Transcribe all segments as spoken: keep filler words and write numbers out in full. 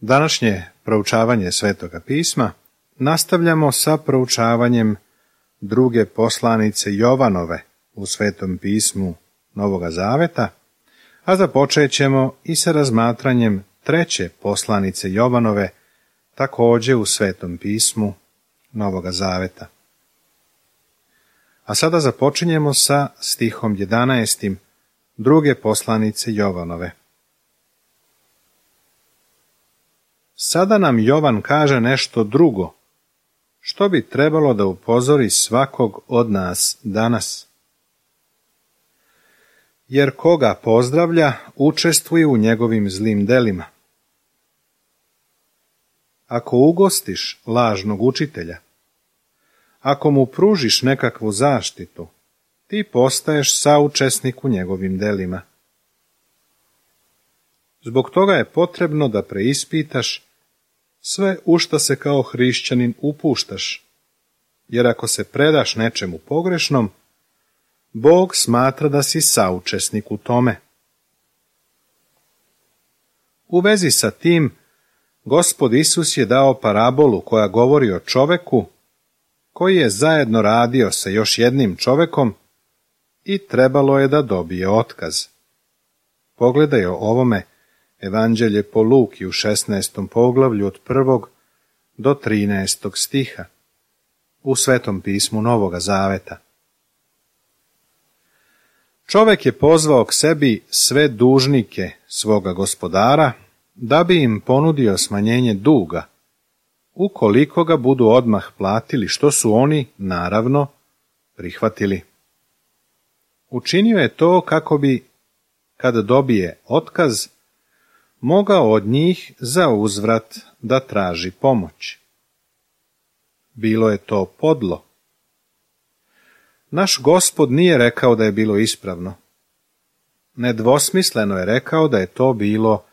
Današnje proučavanje Svetoga pisma nastavljamo sa proučavanjem druge poslanice Jovanove u Svetom pismu Novoga Zaveta, a započet ćemo i sa razmatranjem treće poslanice Jovanove, također u Svetom pismu Novoga Zaveta. A sada započinjemo sa stihom jedanaestim druge poslanice Jovanove. Sada nam Jovan kaže nešto drugo, što bi trebalo da upozori svakog od nas danas. Jer koga pozdravlja, učestvuje u njegovim zlim delima. Ako ugostiš lažnog učitelja, ako mu pružiš nekakvu zaštitu, ti postaješ saučesnik u njegovim delima. Zbog toga je potrebno da preispitaš sve u šta se kao hrišćanin upuštaš, jer ako se predaš nečemu pogrešnom, Bog smatra da si saučesnik u tome. U vezi sa tim, Gospod Isus je dao parabolu koja govori o čoveku koji je zajedno radio sa još jednim čovekom i trebalo je da dobije otkaz. Pogledaj o ovome Evanđelje po Luki u šesnaestom poglavlju od prvog do trinaestog stiha u Svetom pismu Novoga Zaveta. Čovek je pozvao k sebi sve dužnike svoga gospodara da bi im ponudio smanjenje duga, ukoliko ga budu odmah platili, što su oni, naravno, prihvatili. Učinio je to kako bi, kada dobije otkaz, mogao od njih za uzvrat da traži pomoć. Bilo je to podlo. Naš Gospod nije rekao da je bilo ispravno. Nedvosmisleno je rekao da je to bilo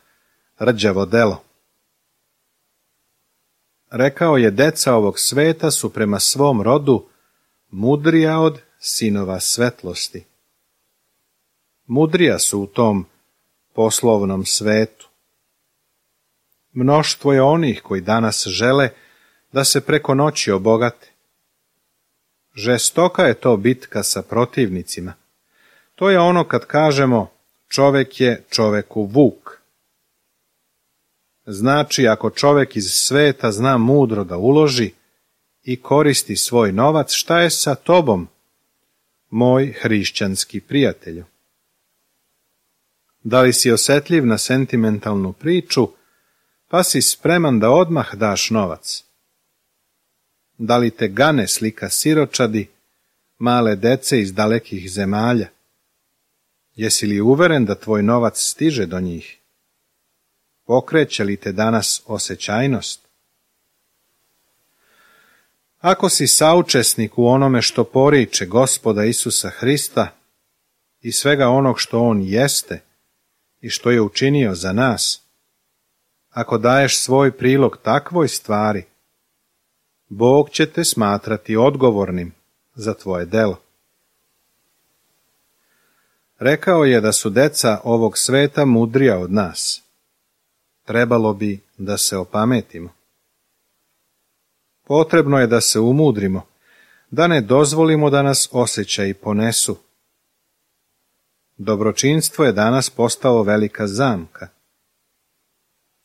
rđavo delo. Rekao je, deca ovog sveta su prema svom rodu mudrija od sinova svetlosti. Mudrija su u tom poslovnom svetu. Mnoštvo je onih koji danas žele da se preko noći obogate. Žestoka je to bitka sa protivnicima. To je ono kad kažemo čovek je čoveku vuk. Znači, ako čovek iz sveta zna mudro da uloži i koristi svoj novac, šta je sa tobom, moj hrišćanski prijatelju? Da li si osetljiv na sentimentalnu priču, pa si spreman da odmah daš novac? Da li te gane slika siročadi, male dece iz dalekih zemalja? Jesi li uveren da tvoj novac stiže do njih? Pokreće li te danas osjećajnost? Ako si saučesnik u onome što poriče Gospoda Isusa Hrista i svega onog što On jeste i što je učinio za nas, ako daješ svoj prilog takvoj stvari, Bog će te smatrati odgovornim za tvoje delo. Rekao je da su deca ovog sveta mudrija od nas. Trebalo bi da se opametimo. Potrebno je da se umudrimo, da ne dozvolimo da nas osjećaji ponesu. Dobročinstvo je danas postalo velika zamka.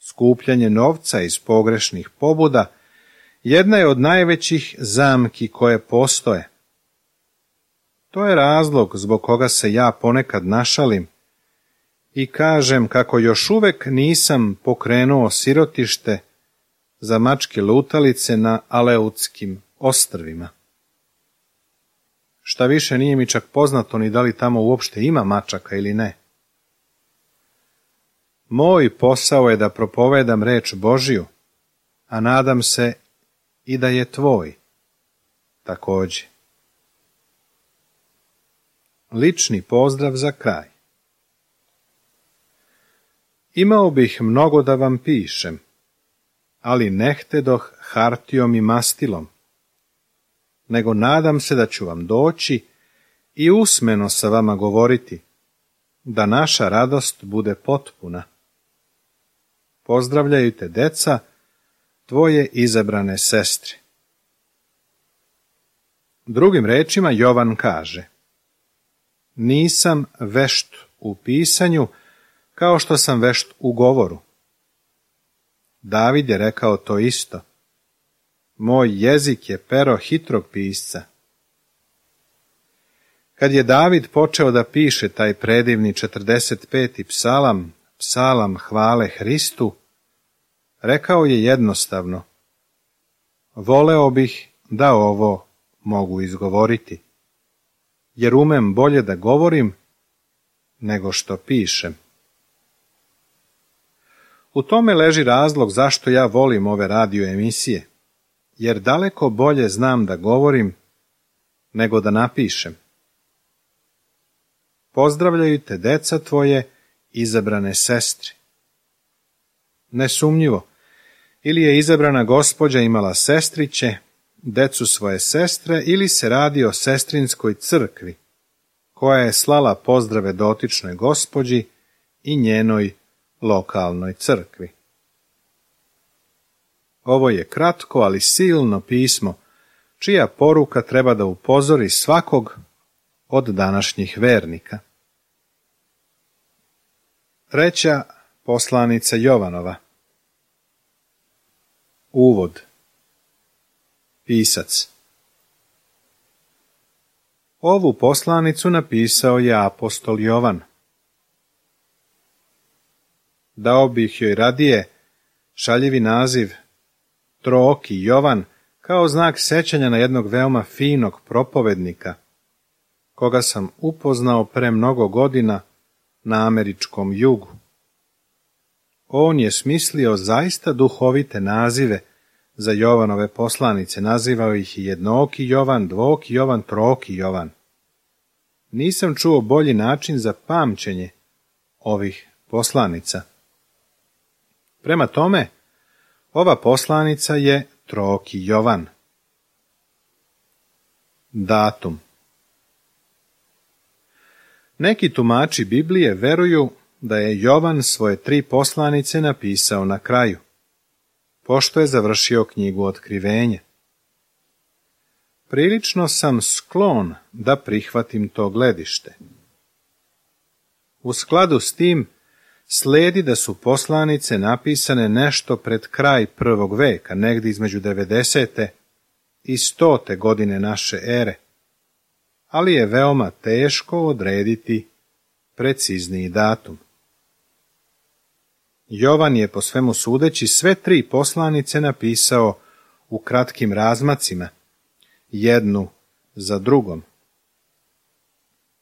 Skupljanje novca iz pogrešnih pobuda jedna je od najvećih zamki koje postoje. To je razlog zbog koga se ja ponekad našalim i kažem kako još uvek nisam pokrenuo sirotište za mačke lutalice na Aleutskim ostrvima. Šta više, nije mi čak poznato ni da li tamo uopšte ima mačaka ili ne. Moj posao je da propovedam reč Božiju, a nadam se i da je tvoj također. Lični pozdrav za kraj. Imao bih mnogo da vam pišem, ali ne htedoh hartijom i mastilom, nego nadam se da ću vam doći i usmeno sa vama govoriti, da naša radost bude potpuna. Pozdravljaju te deca, tvoje izabrane sestre. Drugim rečima Jovan kaže: nisam vešt u pisanju kao što sam vešt u govoru. David je rekao to isto. Moj jezik je pero hitrog pisca. Kad je David počeo da piše taj predivni četrdeset peti psalam, psalam hvale Hristu, rekao je jednostavno: voleo bih da ovo mogu izgovoriti, jer umem bolje da govorim nego što pišem. U tome leži razlog zašto ja volim ove radio emisije, jer daleko bolje znam da govorim nego da napišem. Pozdravljaju te deca tvoje izabrane sestre. Nesumnjivo, ili je izabrana gospođa imala sestriće, decu svoje sestre, ili se radi o sestrinskoj crkvi, koja je slala pozdrave dotičnoj gospođi i njenoj lokalnoj crkvi. Ovo je kratko, ali silno pismo, čija poruka treba da upozori svakog od današnjih vernika. Treća poslanica Jovanova. Uvod. Pisac. Ovu poslanicu napisao je apostol Jovan. Dao bih joj radije šaljivi naziv Trooki Jovan kao znak sećanja na jednog veoma finog propovednika, koga sam upoznao pre mnogo godina na američkom jugu. On je smislio zaista duhovite nazive za Jovanove poslanice, nazivao ih i jednooki Jovan, dvoki Jovan, troki Jovan. Nisam čuo bolji način za pamćenje ovih poslanica. Prema tome, ova poslanica je troki Jovan. Datum. Neki tumači Biblije veruju da je Jovan svoje tri poslanice napisao na kraju, pošto je završio knjigu Otkrivenja. Prilično sam sklon da prihvatim to gledište. U skladu s tim, sledi da su poslanice napisane nešto pred kraj prvog veka, negdje između devedesete i stote godine naše ere, ali je veoma teško odrediti precizniji datum. Jovan je po svemu sudeći sve tri poslanice napisao u kratkim razmacima, jednu za drugom.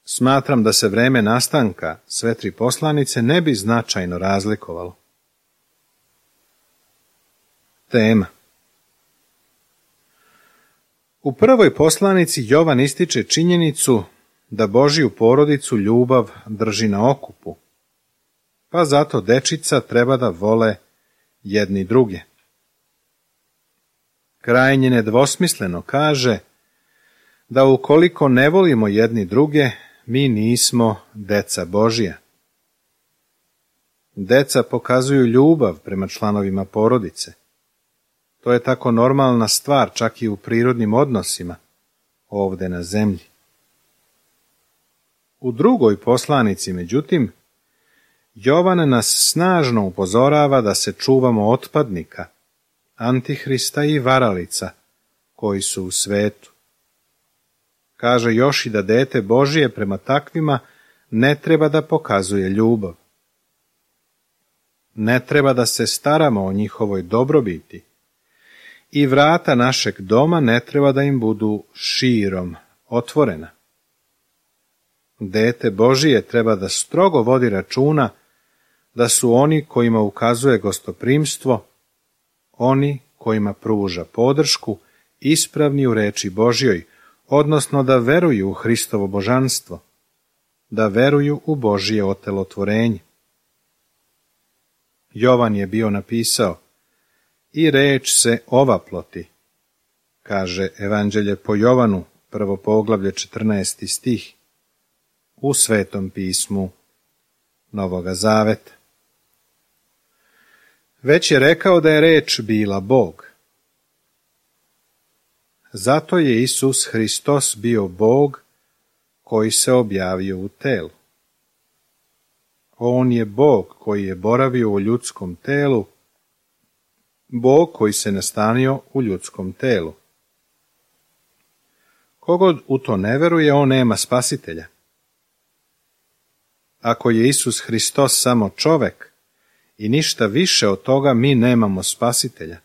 Smatram da se vreme nastanka sve tri poslanice ne bi značajno razlikovalo. Tema. U prvoj poslanici Jovan ističe činjenicu da Božju porodicu ljubav drži na okupu, pa zato dečica treba da vole jedni druge. Krajnje nedvosmisleno kaže da ukoliko ne volimo jedni druge, mi nismo deca Božja. Deca pokazuju ljubav prema članovima porodice. To je tako normalna stvar čak i u prirodnim odnosima ovde na zemlji. U drugoj poslanici, međutim, Jovan nas snažno upozorava da se čuvamo otpadnika, antihrista i varalica koji su u svetu. Kaže još i da dete Božije prema takvima ne treba da pokazuje ljubav. Ne treba da se staramo o njihovoj dobrobiti i vrata našeg doma ne treba da im budu širom otvorena. Dete Božije treba da strogo vodi računa da su oni kojima ukazuje gostoprimstvo, oni kojima pruža podršku, ispravni u reči Božjoj, odnosno da veruju u Hristovo božanstvo, da veruju u Božje otelotvorenje. Jovan je bio napisao: i reč se ovaploti, kaže Evanđelje po Jovanu, prvo poglavlje, četrnaesti stih, u Svetom pismu Novoga Zaveta. Već je rekao da je reč bila Bog. Zato je Isus Hristos bio Bog koji se objavio u telu. On je Bog koji je boravio u ljudskom telu, Bog koji se nastanio u ljudskom telu. Kogod u to ne veruje, on nema spasitelja. Ako je Isus Hristos samo čovek i ništa više od toga, mi nemamo spasitelja.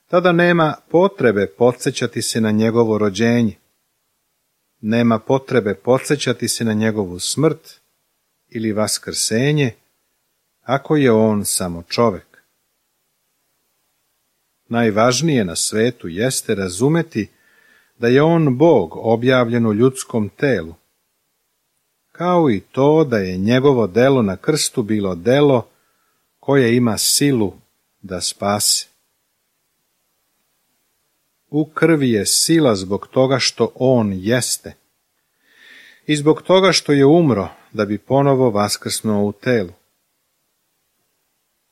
Tada nema potrebe podsjećati se na njegovo rođenje. Nema potrebe podsjećati se na njegovu smrt ili vaskrsenje, ako je on samo čovek. Najvažnije na svetu jeste razumeti da je on Bog objavljen u ljudskom telu, kao i to da je njegovo delo na krstu bilo delo koje ima silu da spase. U krvi je sila zbog toga što on jeste i zbog toga što je umro da bi ponovo vaskrsnuo u telu.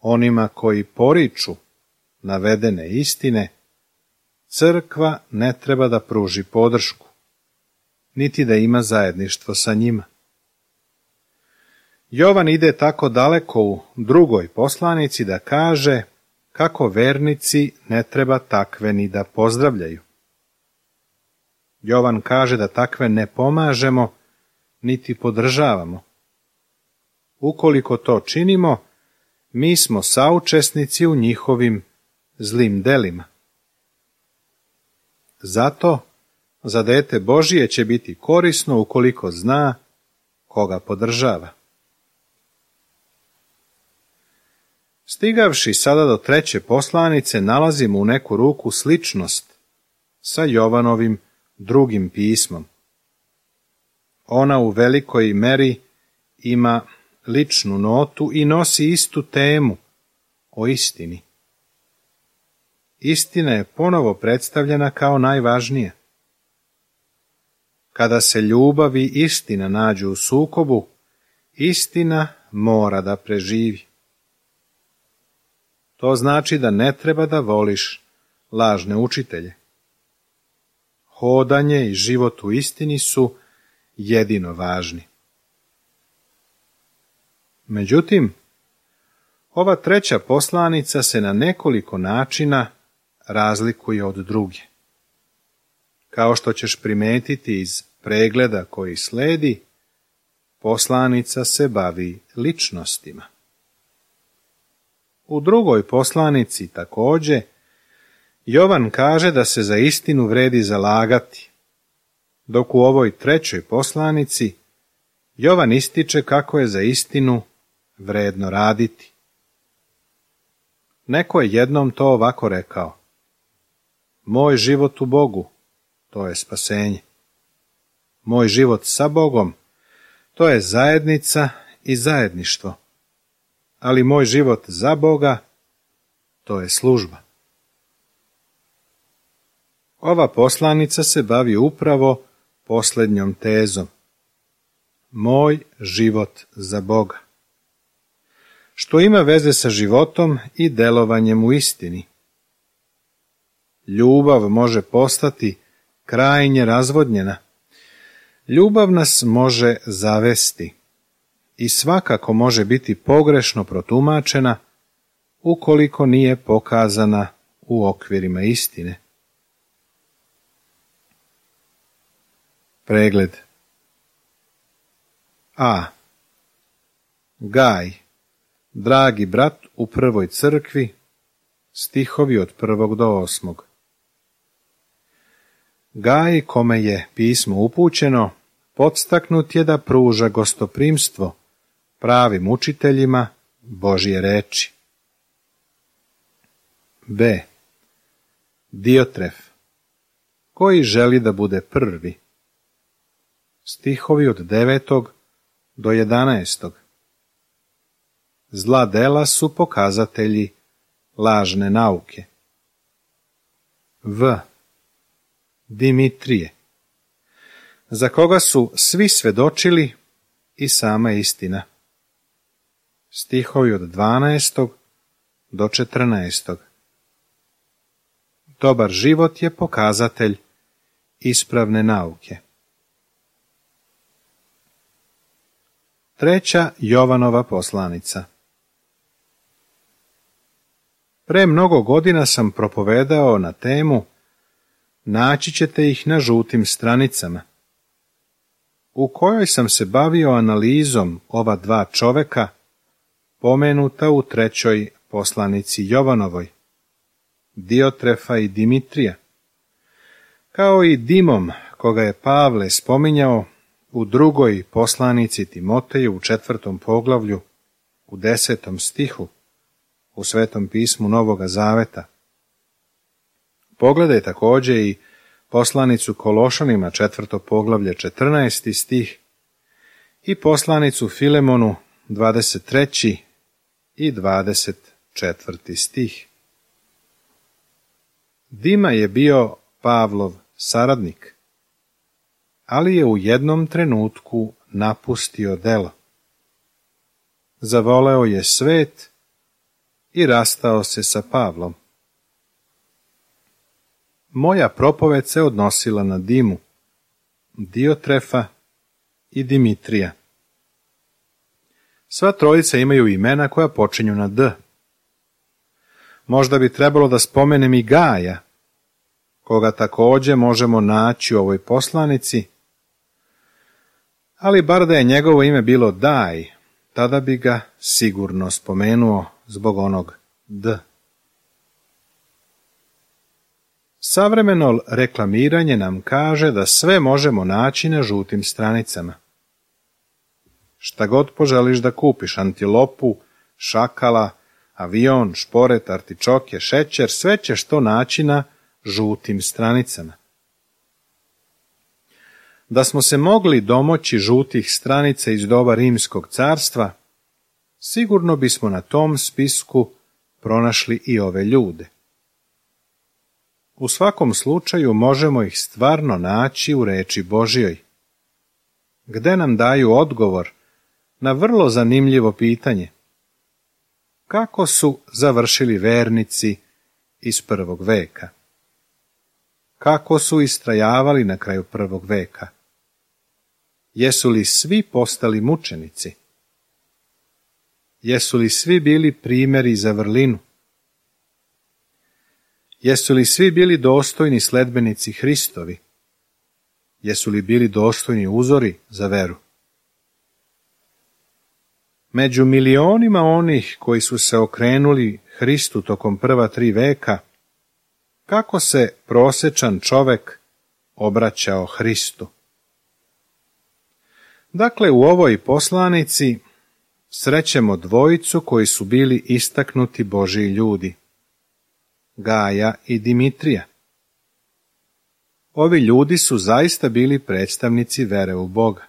Onima koji poriču navedene istine, crkva ne treba da pruži podršku, niti da ima zajedništvo sa njima. Jovan ide tako daleko u drugoj poslanici da kaže kako vernici ne treba takve ni da pozdravljaju. Jovan kaže da takve ne pomažemo, niti podržavamo. Ukoliko to činimo, mi smo saučesnici u njihovim zlim delima. Zato za dete Božije će biti korisno ukoliko zna koga podržava. Stigavši sada do treće poslanice, nalazimo u neku ruku sličnost sa Jovanovim drugim pismom. Ona u velikoj meri ima ličnu notu i nosi istu temu o istini. Istina je ponovo predstavljena kao najvažnija. Kada se ljubav i istina nađu u sukobu, istina mora da preživi. To znači da ne treba da voliš lažne učitelje. Hodanje i život u istini su jedino važni. Međutim, ova treća poslanica se na nekoliko načina razlikuje od druge. Kao što ćeš primetiti iz pregleda koji sledi, poslanica se bavi ličnostima. U drugoj poslanici takođe, Jovan kaže da se za istinu vredi zalagati, dok u ovoj trećoj poslanici Jovan ističe kako je za istinu vredno raditi. Neko je jednom to ovako rekao: moj život u Bogu, to je spasenje. Moj život sa Bogom, to je zajednica i zajedništvo. Ali moj život za Boga, to je služba. Ova poslanica se bavi upravo posljednjom tezom. Moj život za Boga. Što ima veze sa životom i delovanjem u istini. Ljubav može postati krajnje razvodnjena. Ljubav nas može zavesti i svakako može biti pogrešno protumačena ukoliko nije pokazana u okvirima istine. Pregled. A. Gaj, dragi brat u prvoj crkvi, stihovi od prvog do osmog. Gaj, kome je pismo upućeno, podstaknut je da pruža gostoprimstvo pravim učiteljima Božje reči. B. Diotref, koji želi da bude prvi. Stihovi od devetog do jedanaestog. Zla dela su pokazatelji lažne nauke. V. Dimitrije, za koga su svi svedočili i sama istina. Stihovi od dvanaestog do četrnaestog. Dobar život je pokazatelj ispravne nauke. Treća Jovanova poslanica. Pre mnogo godina sam propovedao na temu Naći ćete ih na žutim stranicama, u kojoj sam se bavio analizom ova dva čoveka, pomenuta u trećoj poslanici Jovanovoj, Diotrefa i Dimitrija, kao i Dimom, koga je Pavle spominjao u drugoj poslanici Timoteju u četvrtom poglavlju, u desetom stihu, u Svetom pismu Novoga Zaveta. Pogledaj također i poslanicu Kološanima, četvrto poglavlje, četrnaesti stih, i poslanicu Filemonu, dvadeset treći i dvadeset četvrti stih. Dima je bio Pavlov saradnik, ali je u jednom trenutku napustio delo. Zavoleo je svet i rastao se sa Pavlom. Moja propoved se odnosila na Dimu, Diotrefa i Dimitrija. Sva trojica imaju imena koja počinju na D. Možda bi trebalo da spomenem i Gaja, koga također možemo naći u ovoj poslanici, ali bar da je njegovo ime bilo Daj, tada bi ga sigurno spomenuo zbog onog D. Savremeno reklamiranje nam kaže da sve možemo naći na žutim stranicama. Šta god poželiš da kupiš, antilopu, šakala, avion, šporet, artičoke, šećer, sve ćeš to naći na žutim stranicama. Da smo se mogli domoći žutih stranica iz doba Rimskog carstva, sigurno bismo na tom spisku pronašli i ove ljude. U svakom slučaju možemo ih stvarno naći u reči Božjoj, gde nam daju odgovor na vrlo zanimljivo pitanje. Kako su završili vernici iz prvog veka? Kako su istrajavali na kraju prvog veka? Jesu li svi postali mučenici? Jesu li svi bili primjeri za vrlinu? Jesu li svi bili dostojni sledbenici Hristovi? Jesu li bili dostojni uzori za veru? Među milionima onih koji su se okrenuli Hristu tokom prva tri veka, kako se prosječan čovek obraćao Hristu? Dakle, u ovoj poslanici srećemo dvojicu koji su bili istaknuti Božji ljudi, Gaja i Dimitrija. Ovi ljudi su zaista bili predstavnici vere u Boga.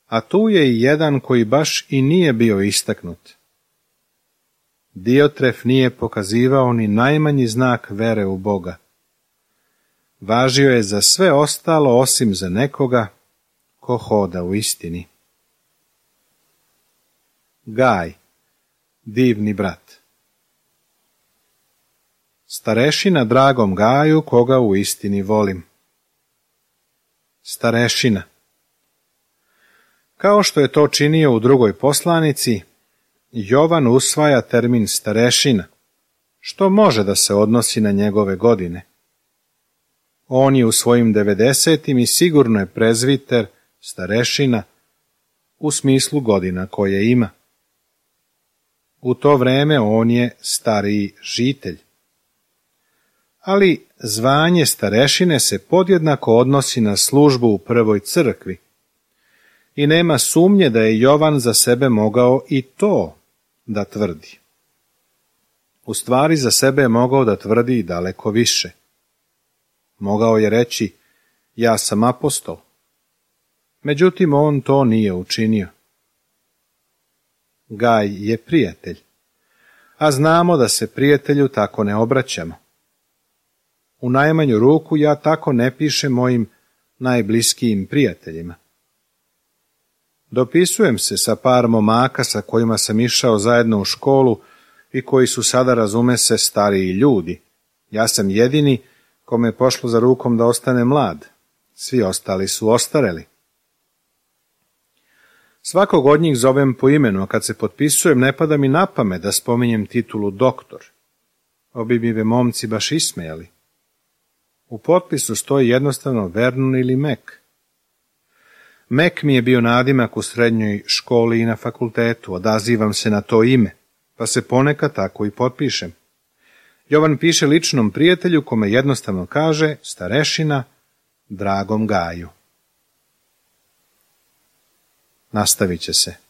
A tu je i jedan koji baš i nije bio istaknut. Diotref nije pokazivao ni najmanji znak vere u Boga. Važio je za sve ostalo osim za nekoga ko hoda u istini. Gaj, divni brat. Starešina dragom Gaju, koga u istini volim. Starešina. Kao što je to činio u drugoj poslanici, Jovan usvaja termin starešina, što može da se odnosi na njegove godine. On je u svojim devedesetim i sigurno je prezviter, starešina, u smislu godina koje ima. U to vreme on je stariji žitelj. Ali zvanje starešine se podjednako odnosi na službu u prvoj crkvi i nema sumnje da je Jovan za sebe mogao i to da tvrdi. U stvari za sebe je mogao da tvrdi i daleko više. Mogao je reći, ja sam apostol. Međutim, on to nije učinio. Gaj je prijatelj, a znamo da se prijatelju tako ne obraćamo. U najmanju ruku ja tako ne pišem mojim najbliskijim prijateljima. Dopisujem se sa par momaka sa kojima sam išao zajedno u školu i koji su sada, razume se, stariji ljudi. Ja sam jedini kome je pošlo za rukom da ostane mlad. Svi ostali su ostareli. Svakog od njih zovem po imenu, a kad se potpisujem ne pada mi na pamet da spominjem titulu doktor. Obi bi me momci baš ismejali. U potpisu stoji jednostavno Vernon ili Mac. Mac mi je bio nadimak u srednjoj školi i na fakultetu, odazivam se na to ime, pa se ponekad tako i potpišem. Jovan piše ličnom prijatelju kome jednostavno kaže starešina Dragom Gaju. Nastavit će se.